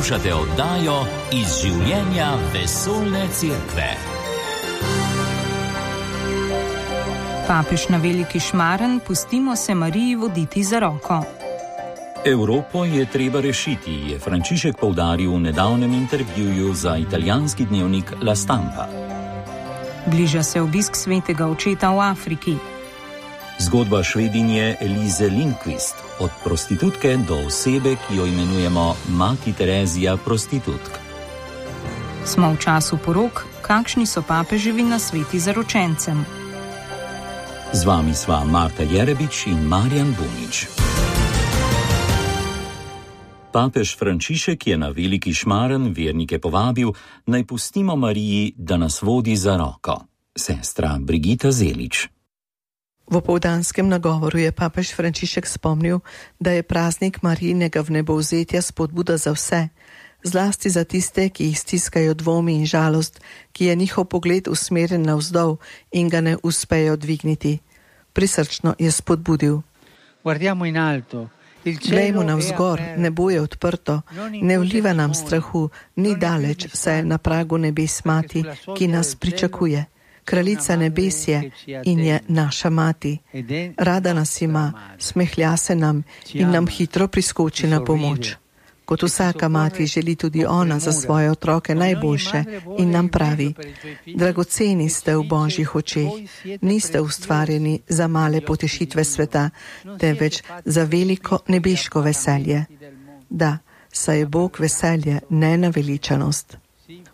Poslušate oddajo Iz življenja vesoljne cerkve. Papež na Veliki Šmaren, pustimo se Mariji voditi za roko. Evropo je treba rešiti, je Frančišek poudaril v nedavnem intervjuju za italijanski dnevnik La Stampa. Bliža se obisk svetega očeta v Afriki. Zgodba Švedinje Elize Lindqvist, od prostitutke do osebe, ki jo imenujemo Mati Terezija prostitutk. Smo v času porok, kakšni so papeževi nasveti zaročencem. Z vami sva Marta Jerebič in Marjan Bunič. Papež Frančišek je na Veliki Šmaren vernike povabil, naj pustimo Mariji, da nas vodi za roko. Sestra Brigita Zelič. V opoldanskem nagovoru je papež Frančišek spomnil, da je praznik Marijinega vnebovzetja spodbuda za vse, zlasti za tiste, ki jih stiskajo dvomi in žalost, ki je njihov pogled usmerjen navzdol in ga ne uspejo dvigniti. Prisrčno je spodbudil. Glejmo navzgor, nebo je odprto, ne vliva nam strahu, ni daleč, saj je na pragu nebes Mati, ki nas pričakuje. Kraljica nebes je in je naša mati. Rada nas ima, smehlja se nam in nam hitro priskoči na pomoč. Kot vsaka mati želi tudi ona za svoje otroke najboljše in nam pravi: dragoceni ste v Božjih očeh, niste ustvarjeni za male potešitve sveta, temveč za veliko nebeško veselje. Da, saj je Bog veselje, ne naveličanost.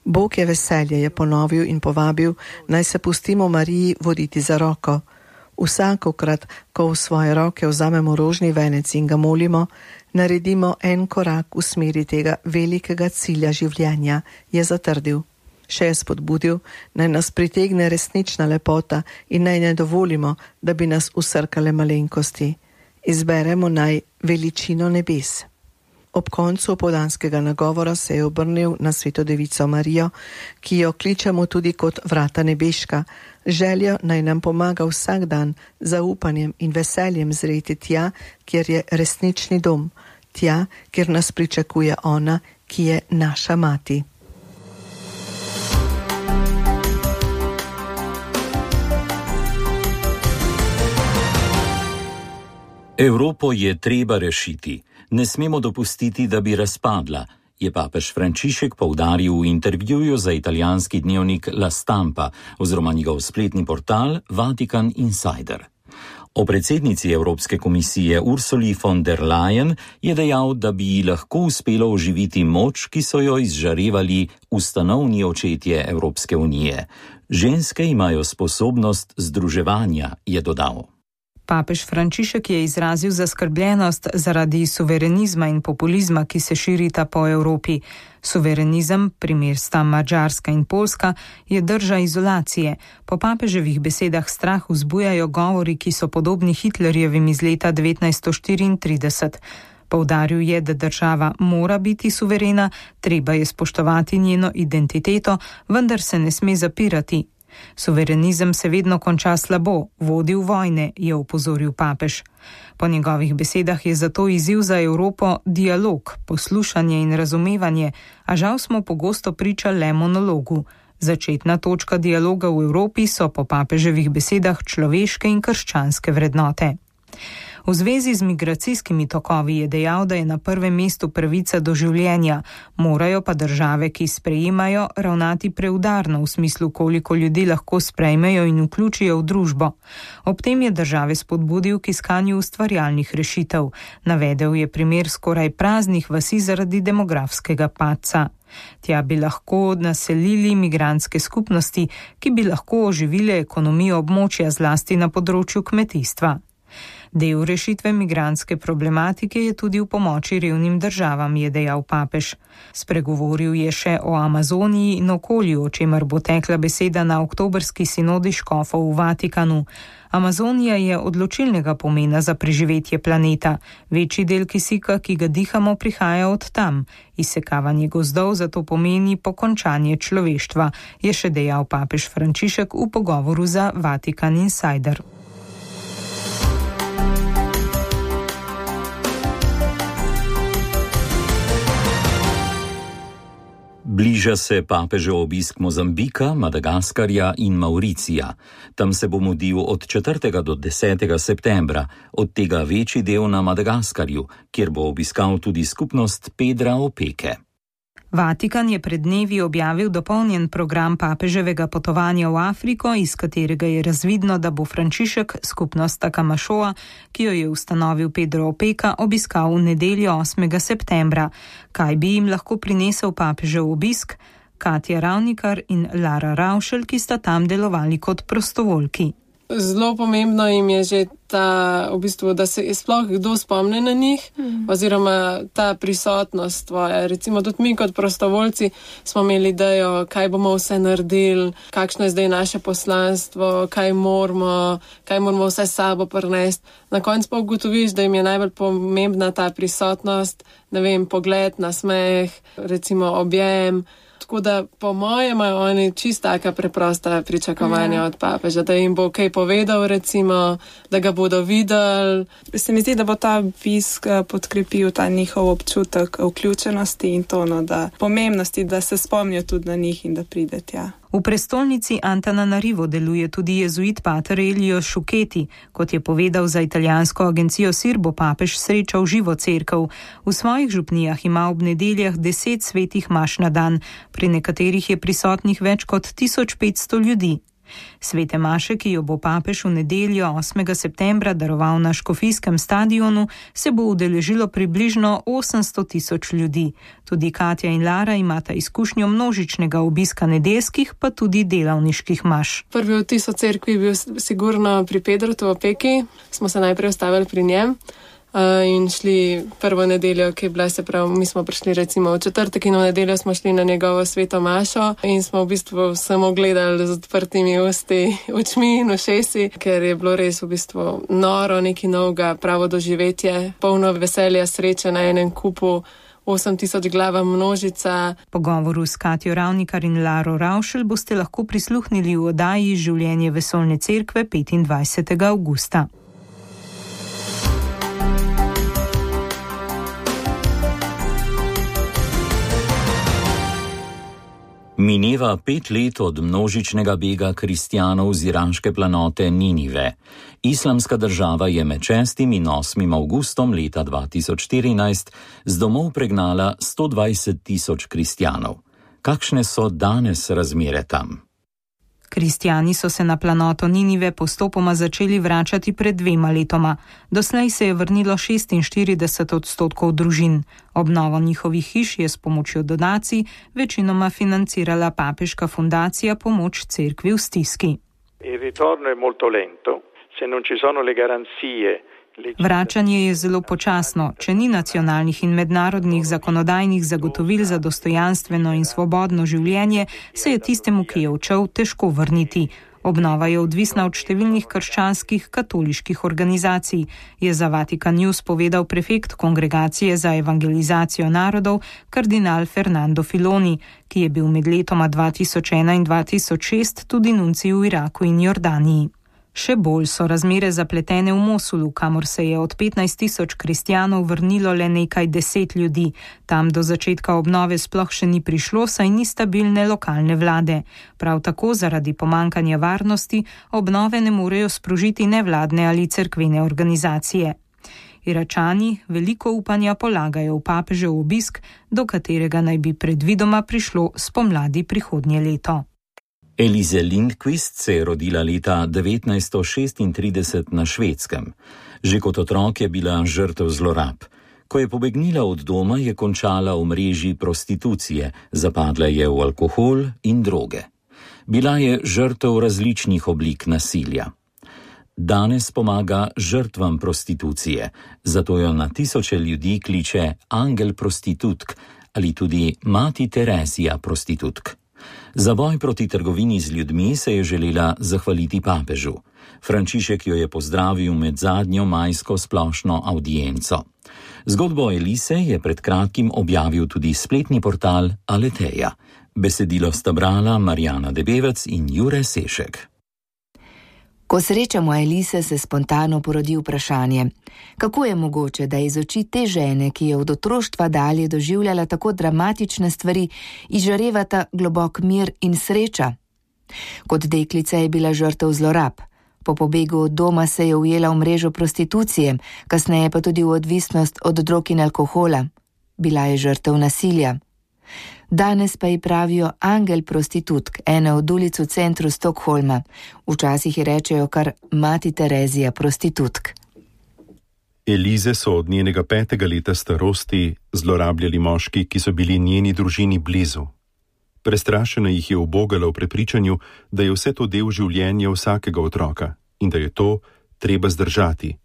Bog je veselje, je ponovil in povabil, naj se pustimo Mariji voditi za roko. Vsakokrat, ko v svoje roke vzamemo rožni venec in ga molimo, naredimo en korak v smeri tega velikega cilja življenja, je zatrdil. Še je spodbudil, naj nas pritegne resnična lepota in naj ne dovolimo, da bi nas usrkale malenkosti. Izberemo naj veličino nebes. Ob koncu opoldanskega nagovora se je obrnil na Sveto Devico Marijo, ki jo kličemo tudi kot vrata nebeška, željo naj nam pomaga vsak dan z zaupanjem in veseljem zreti tja, kjer je resnični dom, tja, kjer nas pričakuje ona, ki je naša mati. Evropo je treba rešiti. Ne smemo dopustiti, da bi razpadla, je papež Frančišek poudaril v intervjuju za italijanski dnevnik La Stampa oziroma njegov spletni portal Vatikan Insider. O predsednici Evropske komisije Ursuli von der Leyen je dejal, da bi ji lahko uspelo oživiti moč, ki so jo izžarevali ustanovni očetje Evropske unije. Ženske imajo sposobnost združevanja, je dodal. Papež Frančišek je izrazil zaskrbljenost zaradi suverenizma in populizma, ki se širita po Evropi. Suverenizem, primer sta Madžarska in Poljska, je drža izolacije. Po papeževih besedah strah vzbujajo govori, ki so podobni Hitlerjevim iz leta 1934. Poudaril je, da država mora biti suverena, treba je spoštovati njeno identiteto, vendar se ne sme zapirati. Suverenizem se vedno konča slabo, vodi v vojne, je opozoril papež. Po njegovih besedah je zato izziv za Evropo dialog, poslušanje in razumevanje, a žal smo pogosto priča le monologu. Začetna točka dialoga v Evropi so po papeževih besedah človeške in krščanske vrednote. V zvezi z migracijskimi tokovi je dejal, da je na prvem mestu pravica do življenja, morajo pa države, ki sprejemajo, ravnati preudarno v smislu, koliko ljudi lahko sprejmejo in vključijo v družbo. Ob tem je države spodbudil k iskanju ustvarjalnih rešitev. Navedel je primer skoraj praznih vasi zaradi demografskega padca. Tja bi lahko naselili migrantske skupnosti, ki bi lahko oživile ekonomijo območja zlasti na področju kmetijstva. Del rešitve migrantske problematike je tudi v pomoči revnim državam, je dejal papež. Spregovoril je še o Amazoniji in okolju, o čemer bo tekla beseda na oktobrski sinodi škofov v Vatikanu. Amazonija je odločilnega pomena za preživetje planeta. Večji del kisika, ki ga dihamo, prihaja od tam. Izsekavanje gozdov zato pomeni pokončanje človeštva, je še dejal papež Frančišek v pogovoru za Vatikan Insider. Bliža se papežev obisk Mozambika, Madagaskarja in Mauricija. Tam se bo mudil od 4. do 10. septembra, od tega večji del na Madagaskarju, kjer bo obiskal tudi skupnost Pedra Opeke. Vatikan je pred dnevi objavil dopolnjen program papeževega potovanja v Afriko, iz katerega je razvidno, da bo Frančišek skupnost Takamašoa, ki jo je ustanovil Pedro Opeka, obiskal v nedeljo 8. septembra. Kaj bi jim lahko prinesel papežev obisk? Katja Ravnikar in Lara Ravšelj, ki sta tam delovali kot prostovoljki. Zelo pomembno jim je že ta, da se sploh kdo spomne na njih, oziroma ta prisotnost tvoja. Recimo tudi mi kot prostovoljci smo imeli idejo, kaj bomo vse naredili, kakšno je zdaj naše poslanstvo, kaj moramo vse s sabo prinesti. Na koncu pa ugotoviš, da jim je najbolj pomembna ta prisotnost, pogled, nasmeh, recimo objem. Tako da po mojem imajo oni čisto taka preprosta pričakovanja od papeža, da jim bo kaj povedal, recimo, da ga bodo videli. Se mi zdi, da bo ta obisk podkrepil ta njihov občutek vključenosti in da pomembnosti, da se spomnijo tudi na njih in da pride tja. V prestolnici Antananarivo deluje tudi jezuit pater Elio Šuketi. Kot je povedal za italijansko agencijo SIR, bo papež srečal živo cerkev. V svojih župnijah ima ob nedeljah 10 svetih maš na dan, pri nekaterih je prisotnih več kot 1500 ljudi. Svete maše, ki jo bo papež v nedeljo 8. septembra daroval na Škofijskem stadionu, se bo udeležilo približno 800.000 ljudi. Tudi Katja in Lara imata izkušnjo množičnega obiska nedeljskih, pa tudi delavniških maš. Prvi vtis o cerkvi je bil sigurno pri Pedrotu Opeki. Smo se najprej ustavili pri njem in šli prvo nedeljo, ki je bila, se pravi, mi smo prišli recimo v četrtek in v nedeljo smo šli na njegovo sveto mašo in smo v bistvu samo gledali z odprtimi očmi in ušesi, ker je bilo res v bistvu noro, nekaj novega, pravo doživetje, polno veselja, sreče na enem kupu, 8000 glava množica. Pogovoru s Katjo Ravnikar in Laro Ravšelj boste lahko prisluhnili v oddaji Življenje vesoljne cerkve 25. avgusta. Mineva 5 let od množičnega bega kristjanov z iraške planote Ninive. Islamska država je med 6. in 8. avgustom leta 2014 z domov pregnala 120.000 kristjanov. Kakšne so danes razmere tam? Kristjani so se na planoto Ninive postopoma začeli vračati pred 2 letoma. Doslej se je vrnilo 46% družin. Obnovo njihovih hiš je s pomočjo donacij večinoma financirala papeška fundacija Pomoč cerkvi v stiski. Il ritorno è molto lento, se non ci sono le garanzie. Vračanje je zelo počasno. Če ni nacionalnih in mednarodnih zakonodajnih zagotovil za dostojanstveno in svobodno življenje, se je tistemu, ki je odšel, težko vrniti. Obnova je odvisna od številnih krščanskih katoliških organizacij, je za Vatikan News povedal prefekt Kongregacije za evangelizacijo narodov kardinal Fernando Filoni, ki je bil med letoma 2001 in 2006 tudi nuncij v Iraku in Jordaniji. Še bolj so razmere zapletene v Mosulu, kamor se je od 15.000 kristjanov vrnilo le nekaj 10 ljudi. Tam do začetka obnove sploh še ni prišlo, saj ni stabilne lokalne vlade. Prav tako zaradi pomankanja varnosti obnove ne morejo sprožiti nevladne ali cerkvene organizacije. Iračani veliko upanja polagajo v papežev obisk, do katerega naj bi predvidoma prišlo spomladi prihodnje leto. Elise Lindqvist se je rodila leta 1936 na Švedskem. Že kot otrok je bila žrtev zlorab. Ko je pobegnila od doma, je končala v mreži prostitucije, zapadla je v alkohol in droge. Bila je žrtev različnih oblik nasilja. Danes pomaga žrtvam prostitucije, zato jo na tisoče ljudi kliče angel prostitutk ali tudi mati Terezija prostitutk. Za boj proti trgovini z ljudmi se je želela zahvaliti papežu. Frančišek jo je pozdravil med zadnjo majsko splošno audienco. Zgodbo Elise je pred kratkim objavil tudi spletni portal Aleteja. Besedilo sta brala Marjana Debevec in Jure Sešek. Ko srečamo Elise, se spontano porodi vprašanje, kako je mogoče, da iz oči te žene, ki je od otroštva dalje doživljala tako dramatične stvari, izžarevata globok mir in sreča. Kot deklica je bila žrtev zlorab. Po pobegu od doma se je ujela v mrežo prostitucije, kasneje pa tudi v odvisnost od drog in alkohola. Bila je žrtev nasilja. Danes pa ji pravijo angel prostitutk, ene od ulic v centru Stockholma. Včasih ji rečejo kar mati Terezija prostitutk. Elize so od njenega 5. leta starosti zlorabljali moški, ki so bili njeni družini blizu. Prestrašena jih je ubogala v prepričanju, da je vse to del življenja vsakega otroka in da je to treba zdržati.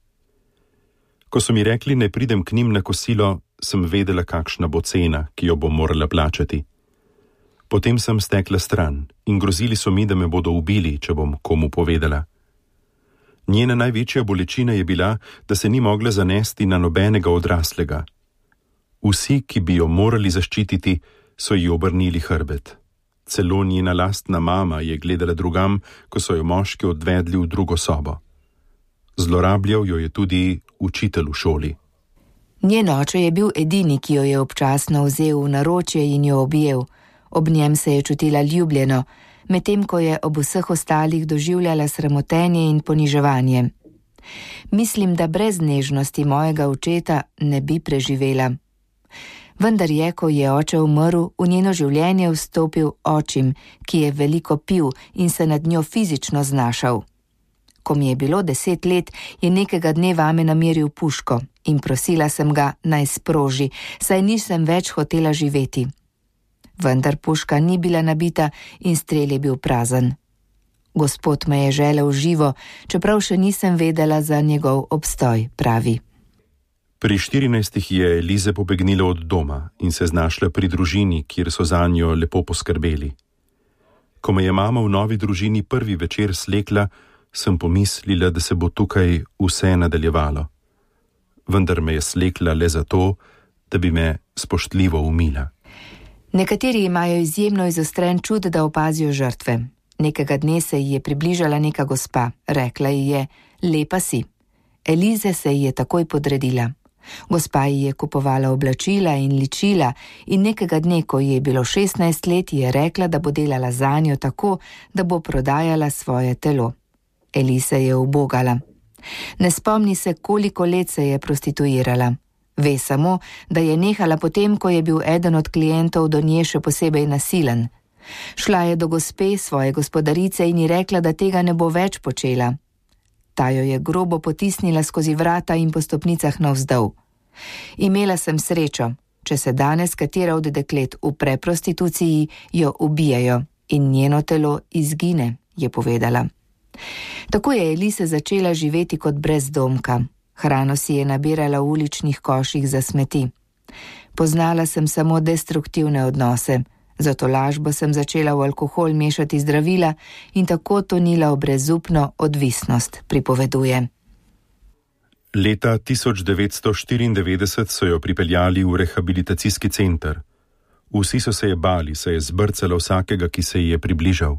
Ko so mi rekli, ne pridem k njim na kosilo, sem vedela, kakšna bo cena, ki jo bom morala plačati. Potem sem stekla stran in grozili so mi, da me bodo ubili, če bom komu povedala. Njena največja bolečina je bila, da se ni mogla zanesti na nobenega odraslega. Vsi, ki bi jo morali zaščititi, so ji obrnili hrbet. Celo njena lastna mama je gledala drugam, ko so jo moški odvedli v drugo sobo. Zlorabljal jo je tudi učitelj v šoli. Njen oče je bil edini, ki jo je občasno vzel v naročje in jo objel. Ob njem se je čutila ljubljeno, medtem ko je ob vseh ostalih doživljala sramotenje in poniževanje. Mislim, da brez nežnosti mojega očeta ne bi preživela. Vendar je, ko je oče umrl, v njeno življenje vstopil očim, ki je veliko pil in se nad njo fizično znašal. Ko mi je bilo 10 let, je nekega dne vame nameril puško in prosila sem ga, naj sproži, saj nisem več hotela živeti. Vendar puška ni bila nabita in strel je bil prazen. Gospod me je želel živo, čeprav še nisem vedela za njegov obstoj, pravi. Pri 14 je Elize pobegnila od doma in se znašla pri družini, kjer so zanjo lepo poskrbeli. Ko me je mama v novi družini prvi večer slekla, sem pomislila, da se bo tukaj vse nadaljevalo. Vendar me je slekla le zato, da bi me spoštljivo umila. Nekateri imajo izjemno izostren čut, da opazijo žrtve. Nekega dne se ji je približala neka gospa. Rekla ji je, lepa si. Elize se ji je takoj podredila. Gospa ji je kupovala oblačila in ličila in nekega dne, ko ji je bilo 16 let, je rekla, da bo delala zanjo tako, da bo prodajala svoje telo. Elize je ubogala. Ne spomni se, koliko let se je prostituirala. Ve samo, da je nehala potem, ko je bil eden od klientov do nje še posebej nasilen. Šla je do gospe, svoje gospodarice, in ji rekla, da tega ne bo več počela. Ta jo je grobo potisnila skozi vrata in po stopnicah navzdol. Imela sem srečo, če se danes katera od deklet upre prostituciji, jo ubijajo in njeno telo izgine, je povedala. Tako je Elize začela živeti kot brezdomka. Hrano si je nabirala v uličnih koših za smeti. Poznala sem samo destruktivne odnose, zato lažbo sem začela v alkohol mešati zdravila in tako tonila v brezupno odvisnost, pripoveduje. Leta 1994 so jo pripeljali v rehabilitacijski center. Vsi so se je bali, se je zbrcala vsakega, ki se ji je približal.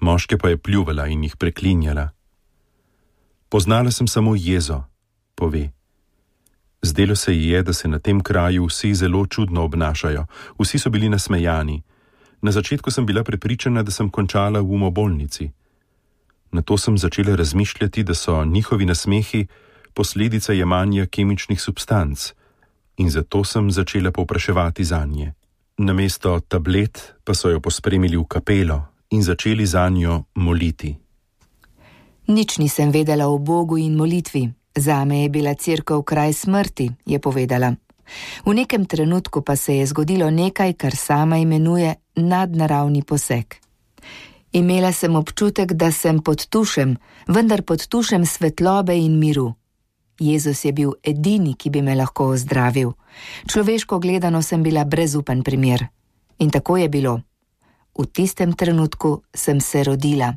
Moške pa je pljuvala in jih preklinjala. Poznala sem samo jezo, pove. Zdelo se ji je, da se na tem kraju vsi zelo čudno obnašajo, vsi so bili nasmejani. Na začetku sem bila prepričana, da sem končala v umobolnici. Nato sem začela razmišljati, da so njihovi nasmehi posledica jemanja kemičnih substanc in zato sem začela povpraševati zanje. Namesto tablet pa so jo pospremili v kapelo in začeli zanjo moliti. Nič nisem vedela o Bogu in molitvi. Zame je bila cerkev kraj smrti, je povedala. V nekem trenutku pa se je zgodilo nekaj, kar sama imenuje nadnaravni poseg. Imela sem občutek, da sem pod tušem, vendar pod tušem svetlobe in miru. Jezus je bil edini, ki bi me lahko ozdravil. Človeško gledano sem bila brezupen primer. In tako je bilo. V tistem trenutku sem se rodila.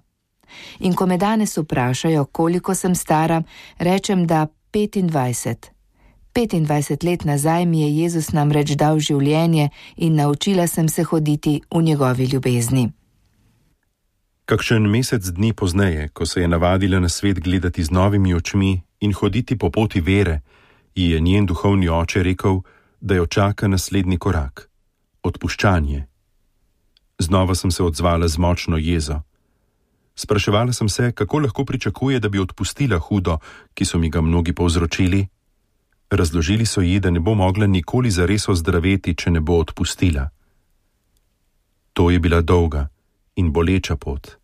In ko me danes vprašajo, koliko sem stara, rečem, da 25. 25 let nazaj mi je Jezus namreč dal življenje in naučila sem se hoditi v njegovi ljubezni. Kakšen mesec dni pozneje, ko se je navadila na svet gledati z novimi očmi in hoditi po poti vere, ji je njen duhovni oče rekel, da jo čaka naslednji korak – odpuščanje. Znova sem se odzvala z močno jezo. Spraševala sem se, kako lahko pričakuje, da bi odpustila hudo, ki so mi ga mnogi povzročili. Razložili so ji, da ne bo mogla nikoli zares ozdraveti, če ne bo odpustila. To je bila dolga in boleča pot.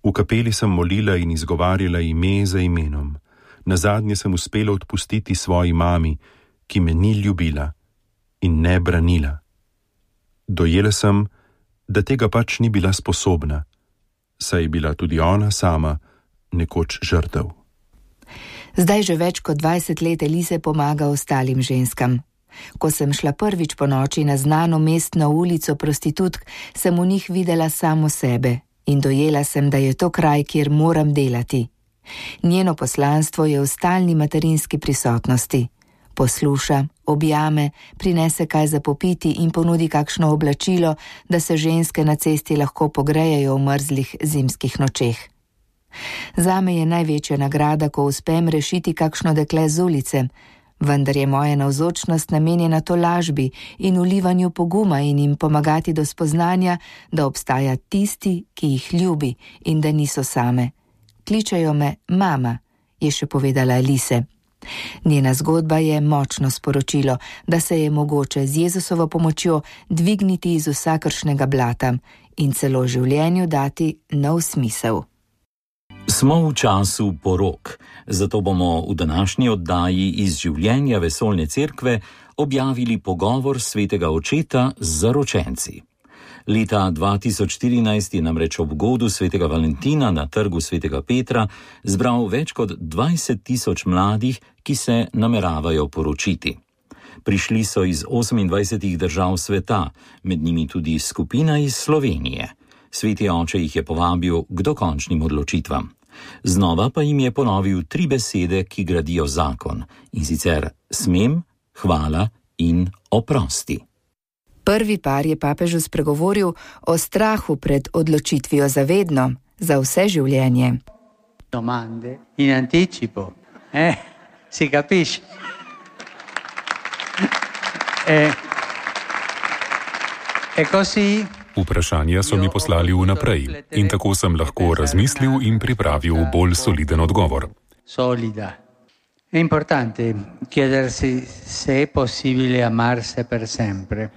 V kapeli sem molila in izgovarjala ime za imenom. Nazadnje sem uspela odpustiti svoji mami, ki me ni ljubila in ne branila. Dojela sem, da tega pač ni bila sposobna, saj je bila tudi ona sama nekoč žrtev. Zdaj že več kot 20 let Elize pomaga ostalim ženskam. Ko sem šla prvič po noči na znano mestno ulico prostitutk, sem v njih videla samo sebe in dojela sem, da je to kraj, kjer moram delati. Njeno poslanstvo je v stalni materinski prisotnosti. Posluša, objame, prinese kaj za popiti in ponudi kakšno oblačilo, da se ženske na cesti lahko pogrejejo v mrzlih zimskih nočeh. Zame je največja nagrada, ko uspem rešiti kakšno dekle z ulice, vendar je moja navzočnost namenjena tolažbi in vlivanju poguma in jim pomagati do spoznanja, da obstaja tisti, ki jih ljubi in da niso same. Kličejo me mama, je še povedala Elise. Njena zgodba je močno sporočilo, da se je mogoče z Jezusovo pomočjo dvigniti iz vsakršnega blata in celo življenju dati nov smisel. Smo v času porok, zato bomo v današnji oddaji iz življenja Vesoljne cerkve objavili pogovor svetega očeta z zaročenci. Leta 2014 je namreč ob godu svetega Valentina na trgu svetega Petra zbral več kot 20 000 mladih, ki se nameravajo poročiti. Prišli so iz 28 držav sveta, med njimi tudi skupina iz Slovenije. Sveti oče jih je povabil k dokončnim odločitvam. Znova pa jim je ponovil 3 besede, ki gradijo zakon, in sicer smem, hvala in oprosti. Prvi par je papežu spregovoril o strahu pred odločitvijo za vedno, za vse življenje. Domande in anticipo. Si capisce? Così. Vprašanja so mi poslali vnaprej in tako sem lahko razmislil in pripravil bolj soliden odgovor. Solida. È importante chiedersi se è possibile amarsi per sempre.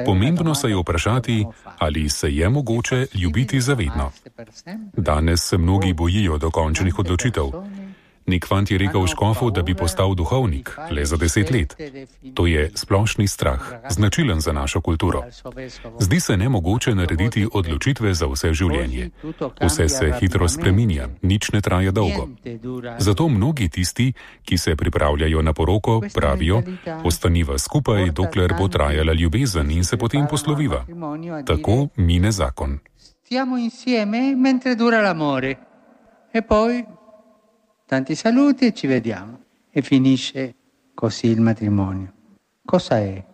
Pomembno se je vprašati, ali se je mogoče ljubiti za vedno. Danes se mnogi bojijo dokončnih odločitev. Nek fant je rekel škofu, da bi postal duhovnik le za 10 let. To je splošni strah, značilen za našo kulturo. Zdi se nemogoče narediti odločitve za vse življenje. Vse se hitro spreminja, nič ne traja dolgo. Zato mnogi tisti, ki se pripravljajo na poroko, pravijo, ostaniva skupaj, dokler bo trajala ljubezen in se potem posloviva. Tako mine zakon. Stiamo insieme mentre dura l'amore. E poi tanti saluti e ci vediamo. E finisce così il matrimonio. Cosa è?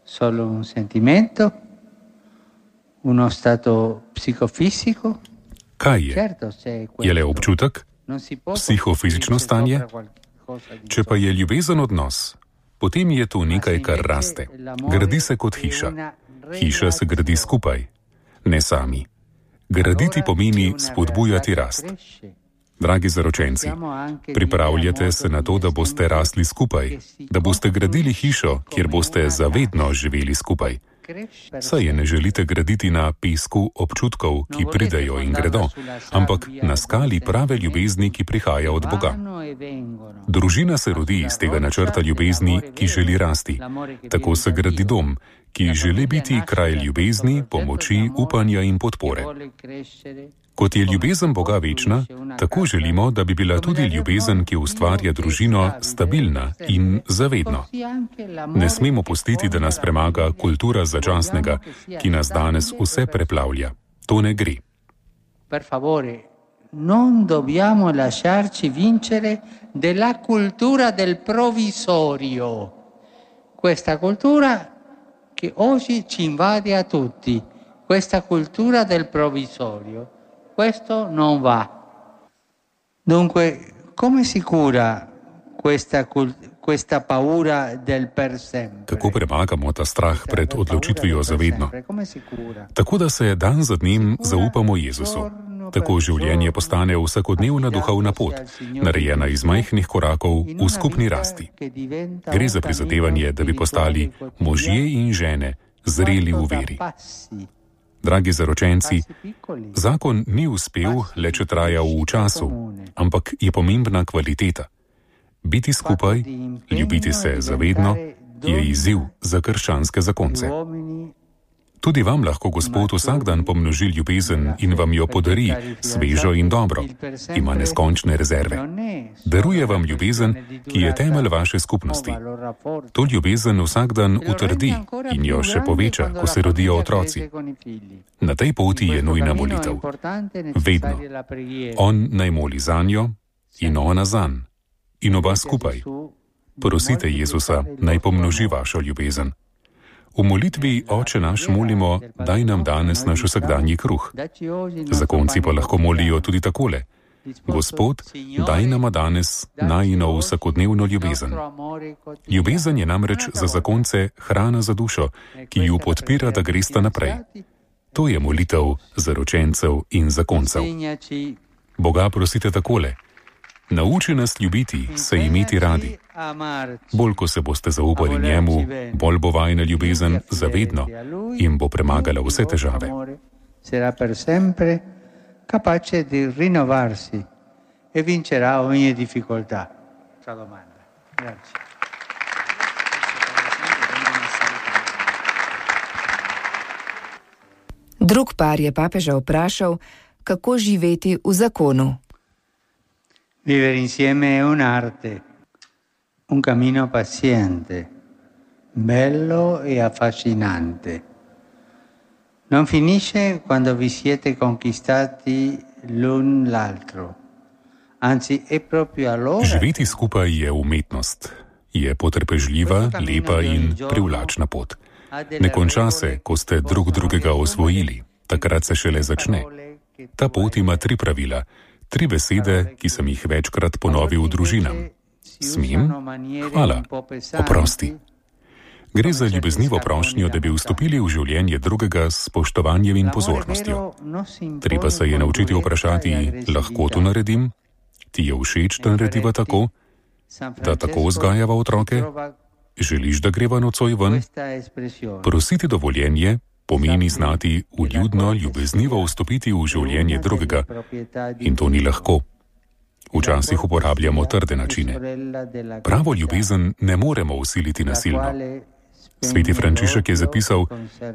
Solo un sentimento? Uno stato psicofisico? Kaj je? Je le občutek? Psihofizično stanje? Če pa je ljubezen odnos, potem je to nekaj, kar raste. Gradi se kot hiša. Hiša se gradi skupaj, ne sami. Graditi pomeni spodbujati rast. Dragi zaročenci, pripravljate se na to, da boste rasli skupaj, da boste gradili hišo, kjer boste zavedno živeli skupaj. Saj je ne želite graditi na pesku občutkov, ki pridejo in gredo, ampak na skali prave ljubezni, ki prihaja od Boga. Družina se rodi iz tega načrta ljubezni, ki želi rasti. Tako se gradi dom, ki želi biti kraj ljubezni, pomoči, upanja in podpore. Kot je ljubezen Boga večna, tako želimo, da bi bila tudi ljubezen, ki ustvarja družino, stabilna in zavedno. Ne smemo pustiti, da nas premaga kultura začasnega, ki nas danes vse preplavlja. To ne gre. Per favore, non dobbiamo lasciarci vincere della cultura del provvisorio. Questa cultura che oggi ci invade a tutti, questa cultura del provvisorio. questo non va. Dunque, come si cura questa paura del per sempre? Kako premagamo ta strah pred odločitvijo za vedno? Tako, da se dan za dnem zaupamo Jezusu. Tako življenje postane vsakodnevna duhovna pot, narejena iz majhnih korakov v skupni rasti. Gre za prizadevanje, da bi postali možje in žene zreli v veri. Dragi zaročenci, zakon ni uspel, le če traja v času, ampak je pomembna kvaliteta. Biti skupaj, ljubiti se zavedno, je izziv za krščanske zakonce. Tudi vam lahko Gospod vsak dan pomnoži ljubezen in vam jo podari, svežo in dobro. Ima neskončne rezerve. Daruje vam ljubezen, ki je temelj vaše skupnosti. To ljubezen vsak dan utrdi in jo še poveča, ko se rodijo otroci. Na tej poti je nujna molitev. Vedno. On naj moli zanjo in ona zanj. In oba skupaj. Prosite Jezusa, naj pomnoži vašo ljubezen. V molitvi Oče naš molimo, daj nam danes naš vsakdanji kruh. Zakonci pa lahko molijo tudi takole. Gospod, daj nama danes najino vsakodnevno ljubezen. Ljubezen je namreč za zakonce hrana za dušo, ki ju podpira, da gresta naprej. To je molitev zaročencev in zakoncev. Boga prosite takole. Nauči nas ljubiti, se imeti radi. Bolj, ko se boste zaupali njemu, bolj bo vajna ljubezen zavedno in bo premagala vse težave. Sarà per sempre capace di rinnovarsi e vincerà ogni difficoltà. Sua domanda. Grazie. Drug par je papeža vprašal, kako živeti v zakonu. Vivere insieme è un'arte, un cammino paziente, bello e affascinante. Non finisce quando vi siete conquistati l'un l'altro, anzi è proprio allora. Živeti skupaj je umetnost, je potrpežljiva, lepa in privlačna pot. Ne konča se, ko ste drug drugega osvojili, takrat se šele začne. Ta pot ima 3 pravila. 3 besede, ki sem jih večkrat ponovil družinam. Smem, hvala, oprosti. Gre za ljubeznivo prošnjo, da bi vstopili v življenje drugega s spoštovanjem in pozornostjo. Treba se je naučiti vprašati, lahko to naredim? Ti je všeč, da narediva tako? Da tako vzgajava otroke? Želiš, da greva nocoj ven? Prositi dovoljenje pomeni znati vljudno, ljubeznivo vstopiti v življenje drugega. In to ni lahko. Včasih uporabljamo trde načine. Pravo ljubezen ne moremo vsiliti nasilno. Sveti Frančišek je zapisal,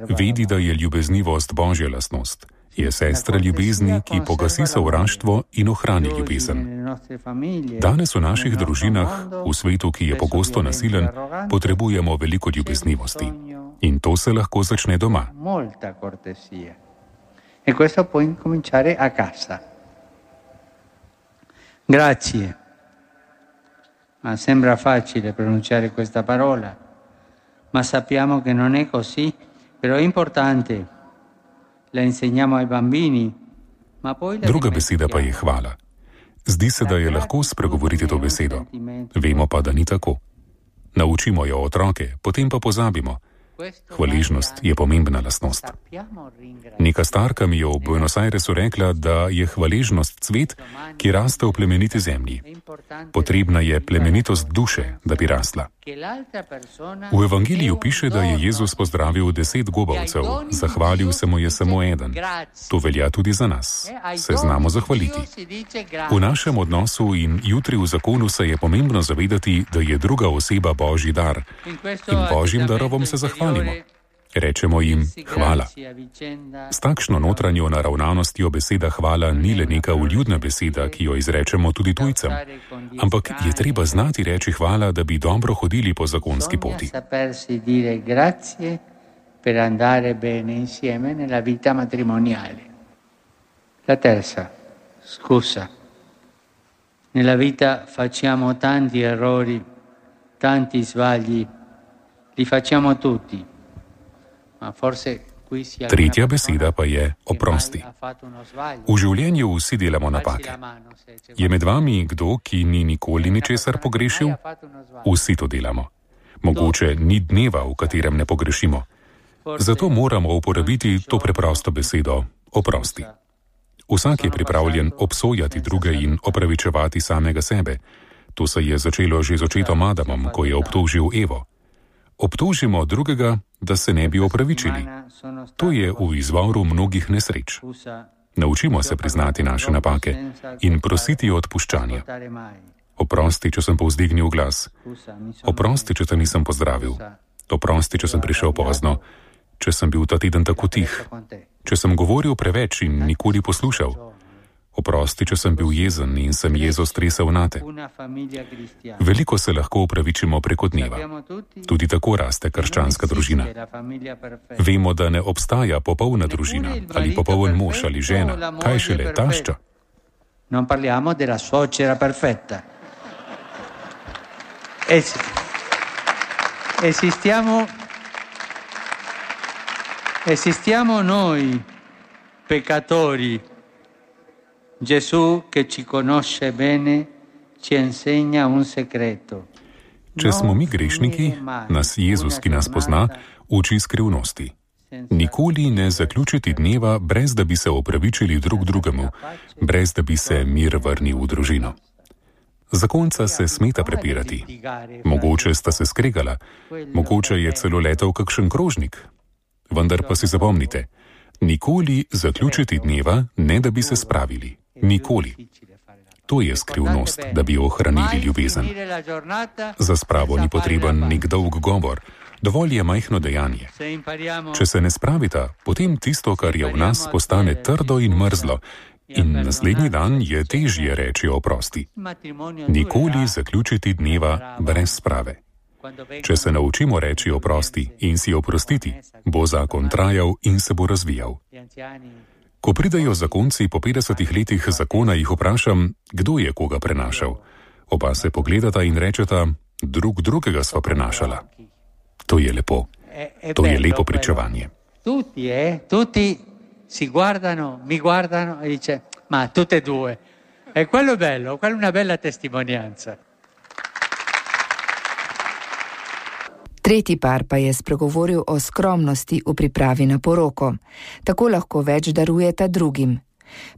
vedi, da je ljubeznivost božja lastnost. Je sestra ljubezni, ki pogasi sovraštvo in ohrani ljubezen. Danes v naših družinah, v svetu, ki je pogosto nasilen, potrebujemo veliko ljubeznivosti. In to se lahko začne doma. Molta cortesia. E questo può incominciare a casa. Grazie. Ma sembra facile pronunciare questa parola, ma sappiamo che non è così, però è importante. La insegniamo ai bambini, ma poi la Druga beseda pa je hvala. Zdi se, da je lahko spregovoriti to besedo. Vemo pa, da ni tako. Naučimo jo otroke, potem pa pozabimo. Hvaležnost je pomembna lastnost. Neka starka mi je v Buenos Airesu rekla, da je hvaležnost cvet, ki raste v plemeniti zemlji. Potrebna je plemenitost duše, da bi rasla. V Evangeliju piše, da je Jezus pozdravil 10 gobavcev, zahvalil se mu je samo eden. To velja tudi za nas. Se znamo zahvaliti. V našem odnosu in jutri v zakonu se je pomembno zavedati, da je druga oseba božji dar in božjim darovom se zahvalimo. Rečemo jim hvala. S takšno notranjo naravnanostjo beseda hvala ni le neka vljudna beseda, ki jo izrečemo tudi tujcem, ampak je treba znati reči hvala, da bi dobro hodili po zakonski poti. La terza, scusa. Nella vita facciamo tanti errori, tanti sbagli, li facciamo tutti. Ma forse Tretja beseda pa je oprosti. V življenju vsi delamo napake. Je med vami kdo, ki ni nikoli ničesar pogrešil? Vsi to delamo. Mogoče ni dneva, v katerem ne pogrešimo. Zato moramo uporabiti to preprosto besedo oprosti. Vsak je pripravljen obsojati druge in opravičevati samega sebe. To se je začelo že z očetom Adamom, ko je obtožil Evo. Obtožimo drugega, da se ne bi opravičili. To je v izvoru mnogih nesreč. Naučimo se priznati naše napake in prositi odpuščanja. Oprosti, če sem povzdignil glas. Oprosti, če te nisem pozdravil. Oprosti, če sem prišel pozno. Če sem bil ta teden tako tih. Če sem govoril preveč in nikoli poslušal. Oprosti, če sem bil jezen in sem jezo stresel nate. Veliko se lahko opravičimo preko dneva. Tudi tako raste krščanska družina. Vemo, da ne obstaja popolna družina, ali popoln mož ali žena. Kaj šele tašča? Non parliamo della suocera perfetta. Esistiamo noi, peccatori. Gesù, che ci conosce bene, ci insegna un segreto. Če smo mi grešniki, nas Jezus, ki nas pozna, uči skrivnosti. Nikoli ne zaključiti dneva, brez da bi se opravičili drug drugemu, brez da bi se mir vrnil v družino. Zakonca se smeta prepirati. Mogoče sta se skregala, mogoče je celo letel kakšen krožnik. Vendar pa si zapomnite, nikoli zaključiti dneva, ne da bi se spravili. Nikoli. To je skrivnost, da bi ohranili ljubezen. Za spravo ni potreben nek dolg govor, dovolj je majhno dejanje. Če se ne spravita, potem tisto, kar je v nas, postane trdo in mrzlo in naslednji dan je težje reči oprosti. Nikoli zaključiti dneva brez sprave. Če se naučimo reči oprosti in si oprostiti, bo zakon trajal in se bo razvijal. Ko pridejo zakonci po 50 letih zakona, jih vprašam, kdo je koga prenašal. Oba se pogledata in rečeta, drug drugega sva prenašala. To je lepo. To je lepo pričevanje. Tutti si guardano, mi guardano e dice, ma tutte e due. E quello è bello, quella è una bella testimonianza. Tretji par pa je spregovoril o skromnosti v pripravi na poroko. Tako lahko več darujeta drugim.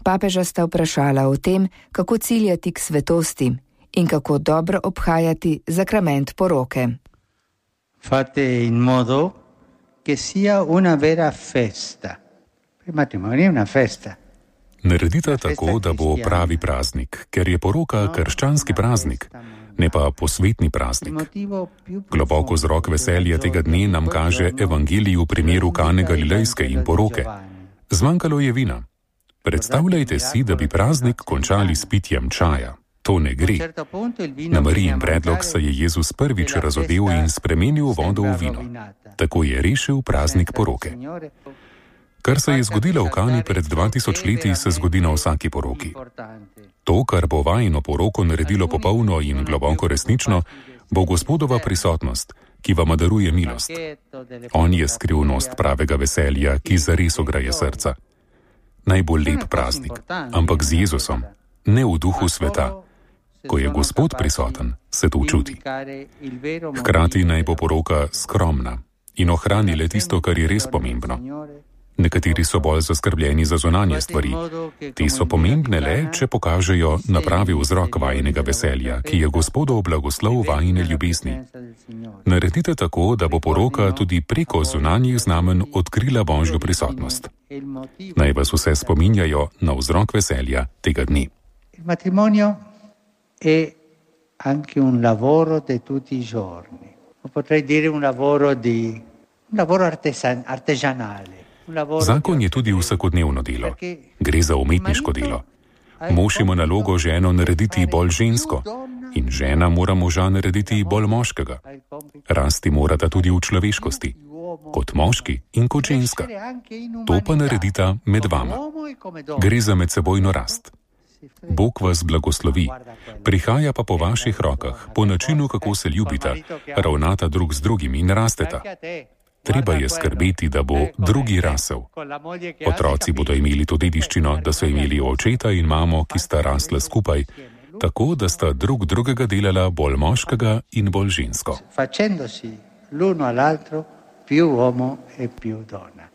Papeža sta vprašala o tem, kako ciljati k svetosti in kako dobro obhajati sakrament poroke. Fate in modo che sia una vera festa. Il matrimonio è una festa. Naredite tako, da bo pravi praznik, ker je poroka krščanski praznik, ne pa posvetni praznik. Globoko vzrok veselja tega dne nam kaže evangelij v primeru Kane Galilejske in poroke. Zmanjkalo je vina. Predstavljajte si, da bi praznik končali s pitjem čaja. To ne gre. Na Marijin predlog se je Jezus prvič razodel in spremenil vodo v vino. Tako je rešil praznik poroke. Kar se je zgodilo v Kani pred 2000 leti, se zgodi na vsaki poroki. To, kar bo vajino poroko naredilo popolno in globoko resnično, bo Gospodova prisotnost, ki vam daruje milost. On je skrivnost pravega veselja, ki zares ograje srca. Najbolj lep praznik, ampak z Jezusom, ne v duhu sveta. Ko je Gospod prisoten, se to čuti. Hkrati naj bo poroka skromna in ohrani le tisto, kar je res pomembno. Nekateri so bolj zaskrbljeni za zunanje stvari. Te so pomembne le, če pokažejo na pravi vzrok vajinega veselja, ki je Gospodov blagoslov vajine ljubezni. Naredite tako, da bo poroka tudi preko zunanjih znamen odkrila Božjo prisotnost. Naj vas vse spominjajo na vzrok veselja tega dne. Il matrimonio è anche un lavoro di tutti i giorni. Potrei dire un lavoro artigianale. Zakon je tudi vsakodnevno delo. Gre za umetniško delo. Mož ima nalogo ženo narediti bolj žensko in žena mora moža narediti bolj moškega. Rasti morata tudi v človeškosti, kot moški in kot ženska. To pa naredita med vama. Gre za medsebojno rast. Bog vas blagoslovi, prihaja pa po vaših rokah, po načinu, kako se ljubita, ravnata drug z drugim in rasteta. Treba je skrbeti, da bo drugi rasel. Otroci bodo imeli to dediščino, da so imeli očeta in mamo, ki sta rasla skupaj, tako da sta drug drugega delala bolj moškega in bolj žensko. Facendosi l'uno all'altro più uomo e più donna.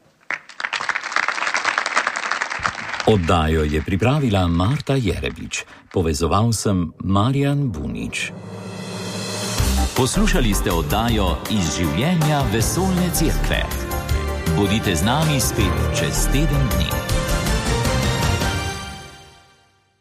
Oddajo je pripravila Marta Jerebič. Povezoval sem Marjan Bunič. Poslušali ste oddajo Iz življenja vesoljne cerkve. Bodite z nami spet čez teden dni.